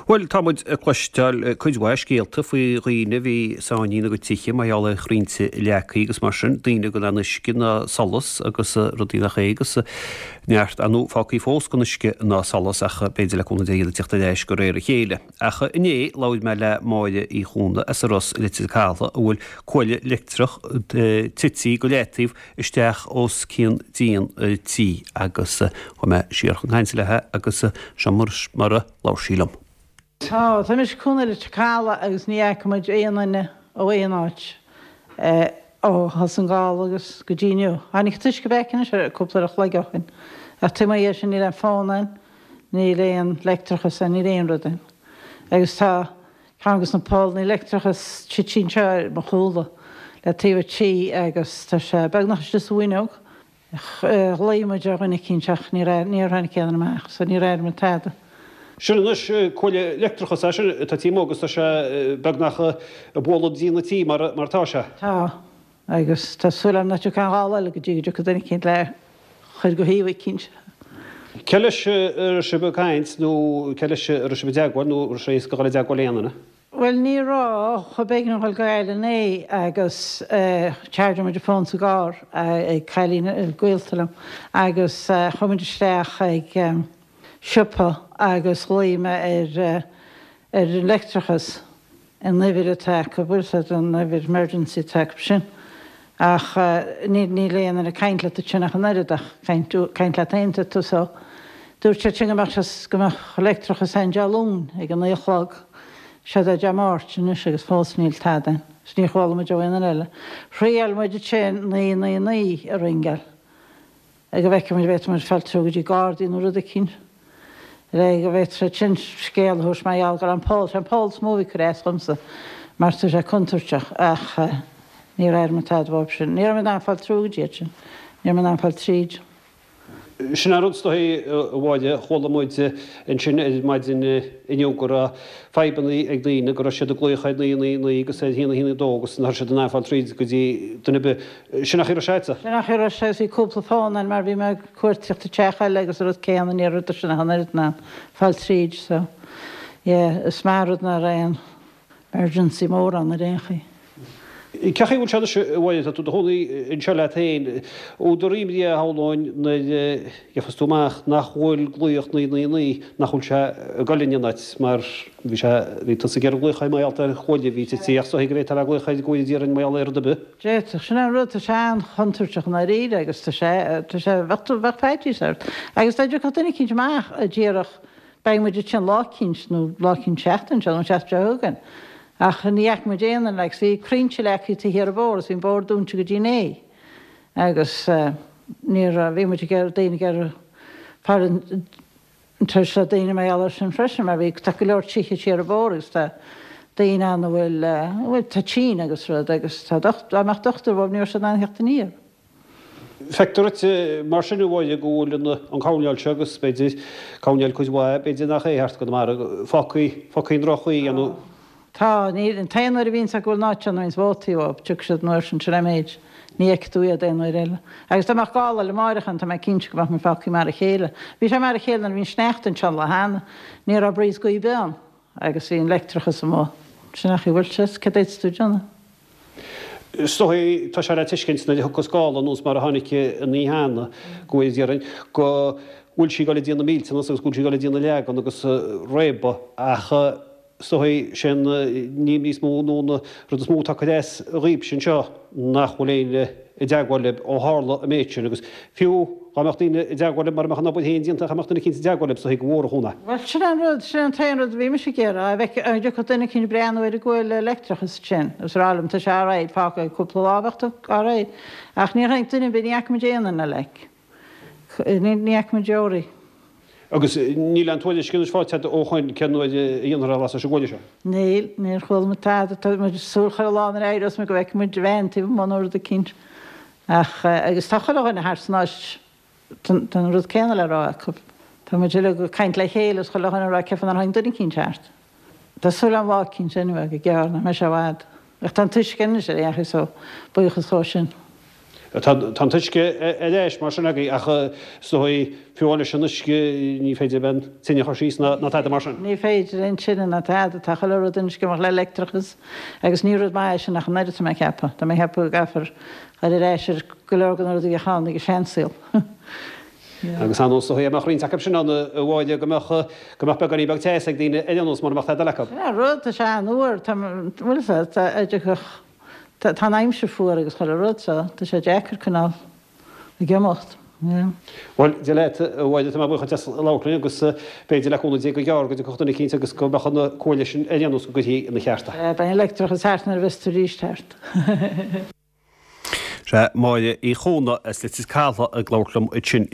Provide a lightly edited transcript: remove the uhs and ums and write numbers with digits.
Bhuel, tá muid ag cloisteáil cuid mhaith scéalta faoi dhaoine a bhí sáinnithe ina gcuid tithe mar gheall ar chrainnte leagtha agus mar sin, daoine gan aon uisce ná solas agus rudaí nach é agus neart ar ndóigh fágtha fós gan uisce ná solas ach b'fhéidir le cúnamh Dé iad ag teacht ar ais de réir a chéile. Ach inné labhair mé le Máire Uí Chuana as an Ros i Leitir Cathail a bhfuil cuaille leictreach tite go leataobh isteach os cionn díon a tí agus chuaigh mé siar chun cainte léi agus seo mar a labhair sí liom. Tá, tá mise i mo chónaí i Leitir Cathail agus ní fhaca muid aon duine ó aon áit ó thosaigh an gála agus go dtí inniu. Tháinig an t-uisce back anois cúpla uair a chloig ó shin ach taobh amuigh dhe sin níl aon fón ann, níl aon leictreachas ann, níl aon rud ann. Agus tá ceann de na polanna leictreachais tite anseo ar mo chúl le taobh an tí agus tá sé beagnach istigh sa bhfuinneog. Ghlaoigh muid ar dhuine eicínt ach níor níor tháinig aon duine amach so níor airigh muid tada. Sin anois cuaille leictreachais é sin atá taobh amuigh agus tá sé beagnach ag bualadh díon an tí mar atá sé. Tá, agus tá súil agam nach dtiocfaidh aon ghála eile go dtí go dtiocfaidh duine eicínt le chur go shuíomh eicínt. Cé leis a raibh sibh ag caint nó cé leis a raibh sibh i dteagmháil nó raibh sé éasca dhul i dteagmháil le aon duine? Bhuel ní raibh, b'éigean dom dhul go Gaillimh inné agus charge muid an fón sa gcarr ag cailín gaolta liom agus chuaigh muid isteach ag siopa agus ghlaoigh mé ar ar an leictreachas an uimhir atá acu, bhfuil a fhios agat an uimhir emergency atá acu sin ach níl níl aon duine ag caint leat ansin ach an oiread ach caint caint leat féin tá tú so dúirt siad sin go mbeadh sé go mbeadh leictreachas ann Dé Luain ag a 9 a chlog. Seod é Dé Máirt anois agus fós níl tada ann. Is níor chuala muid ó aon duine eile. Thriail muid ansin 999 a ringeáil go bhfeicfeadh muid an bhféadfadh muid fáil through go dtí Gardaí nó rud eicínt le go bhféadfadh siad sin scéal a thabhairt mar gheall go raibh an poll, sé an poll is mó a bhí ag cur as dhomsa mar tá sé contúirteach ach níor airigh muid tada uathu sin. Ní raibh muid in ann fáil through go dtí iad sin. Ní raibh muid in ann fáil tríd. Sin an rud is dóichí, a Mháire, chuala muid ansin ar maidin inniu go raibh fadhbanna ag daoine, go raibh siad ag glaoch ar 999 agus ar 1 1 2 agus nach raibh siad in ann fáil tríd go dtí duine ar bith. Sin an chaoi a raibh sé agatsa? Sin an chaoi a raibh sé agus bhí cúpla fón ann mar bhí mé ag cuartaíocht i teach eile agus an rud céanna, ní raibh siad ach an oiread in ann fáil tríd so yeah is maith an rud nach raibh aon emergency mór ann ar aon chaoi. Cén chaoi a bhfuil sé anois, a Mháire, tá tú i do chónaí anseo leat féin. Údar imní a shamhlóinn nuair a gheofas tú amach nach bhfuil glaoch 999, nach bhfuil sé ag goil in aon áit mar bhí sé, bhí tusa ag iarraidh glaoch air mar gheall ar chuaille a bhí tite ach is dóichí go bhféadfá a bheith ag glaoch air go bhfóire Dia orainn mar gheall ar rud ar bith. D'fhéadfadh, sin é an rud, tá sé an-chontúirteach i ndáiríre agus tá sé, tá sé, bheadh tú, bheadh faitíos ort. Agus dá dtiocfadh duine eicínt amach a déarfadh beidh muid ansin lá eicínt nó lá eicínt seachtain seo nó an tseachtain seo chugainn. Ach ní fhaca muid aon duine agus bhí crainnte leagtha taobh thiar an bhóthar agus bhí an bóthar dúnta go dtí inné agus ní raibh, bhí muid ag iarraidh, daoine ag iarraidh fáil in touch le daoine mar gheall air sin freisin mar bhí, tá go leor tithe siar an bóthar agus tá daoine ann a bhfuil, a bhfuil, tá tinn agus rud agus tá docht, dá mbeadh dochtúir uathu ní raibh siad in ann theacht aniar. Feictear duit, mar sin, a Mháire, go bhfuil an coirnéal seo, agus b'fhéidir coirnéal cuid mhaith, b'fhéidir nach é, thart i gConamara, fágtha, fágtha i ndroch-chaoi, nó. Tá. Níl, an t-aon uair a bhíonns acu bhfuil an áit ann, bhíonns vótaí uathu, tiocfaidh siad an uair sin, sin é an méid. Ní fheicfidh tú iad aon uair eile. Agus dá mbeadh gála eile amáireach ann, tá mé cinnte go mbeadh muid fágtha mar a chéile. Bhí sé mar a chéile nuair a bhí an sneachta anseo an lá cheana. Ní raibh breeze gaoth ar bith ann agus bhí an leictreachas amuigh. Sin é an chaoi a bhfuil sé, céard a fhéadfas tú a dhéanamh? Is dóigh, tá sé le tuiscint nuair a thiocfas gála anuas mar a tháinig an oíche cheana, go bhfóire Dia orainn, go bhfuil sí ag dul ag déanamh millteanas agus go bhfuil sí ag dul ag déanamh leagan agus réabadh ach is dóigh sé an ní níos mó nó an rud is mó atá ag cur as dhaoibhse anseo nach bhfuil éinne i dteagmháil libh ó tharla an méid sin agus fiú dá mbeadh daoine i dteagmháil libh mura mbeadh an obair féin déanta dá mbeadh duine eicínt i dteagmháil libh is dóigh gur mhór an chúnamh é. Bhuel sin é an rud, sin é an t-aon rud a bhí mise ag iarraidh, a bheith, an dtiocfadh duine eicínt breathnú ar an gcuaille leictreachais sin agus rá liom tá sé alright, fágfaidh cúpla lá bheadh tú alright. Ach níor tháinig duine ar bith, ní fhaca muid aon duine like. Ní fhaca muid deoraí. Agus níl aon tuairisc anois faighte agat ó shoin cén uair a dhéanfar é a lasadh leis an gcuaille seo? Níl, níor chuala muid tada. Tá muid ag súil chuile lá nuair a éireos muid go bhfeicfidh muid veain taobh amuigh nó rud eicínt. Ach, agus tá chuile dhuine thart san áit, tá an rud céanna le rá acu. Tá muid uilig ag caint le chéile is chuile dhuine ag rá cén fáth nár tháinig duine eicínt thart. Tá súil agam lá eicínt anyway, go gearr, nach mbeidh sé i bhfad. Ach tá an t-uisce anois ar aon chaoi so buíochas dhó sin. Tá an t-uisce ar ais mar sin agaibh ach is dóigh, fiú amháin leis an uisce ní féidir an tine a chur síos ná tada mar sin. Ní féidir aon tine ná tada, tá chuile rud anois ag imeacht le leictreachas agus ní rud maith é sin ach an oiread tá mé ag ceapadh. Tá mé ag ceapadh go gcaithfear dhul ar ais ar go leor de na rudaí a bhíodh ann ag an seansaol. Agus ar nós, is dóigh, dá mbeadh roinnt acu sin ann a Mháire go mbeadh, go mbeadh beagáinín beag teas ag daoine ar aon nós mura mbeadh tada eile acu. Sin é an rud, tá sé an-fhuar, tá, bhfuil a fhios agat, tá, a Tá an aimsir fuar agus chuile rud so tá sé deacair coinneáil ag imeacht, yeah. Bhuel, Dia leat, a Mháire, tá mé buíoch duit as labhairt linn agus b'fhéidir le cúnamh Dé go gearr go dtiocfadh duine eicínt agus go mbeadh an cuaille sin ar aon nós go gcuirfí ina cheart é. Sea, beidh an leictreachas thart nuair a bheas tú arís thart. Sea, Máire Uí Chónaith as Leitir Cathail ag labhairt liom ansin.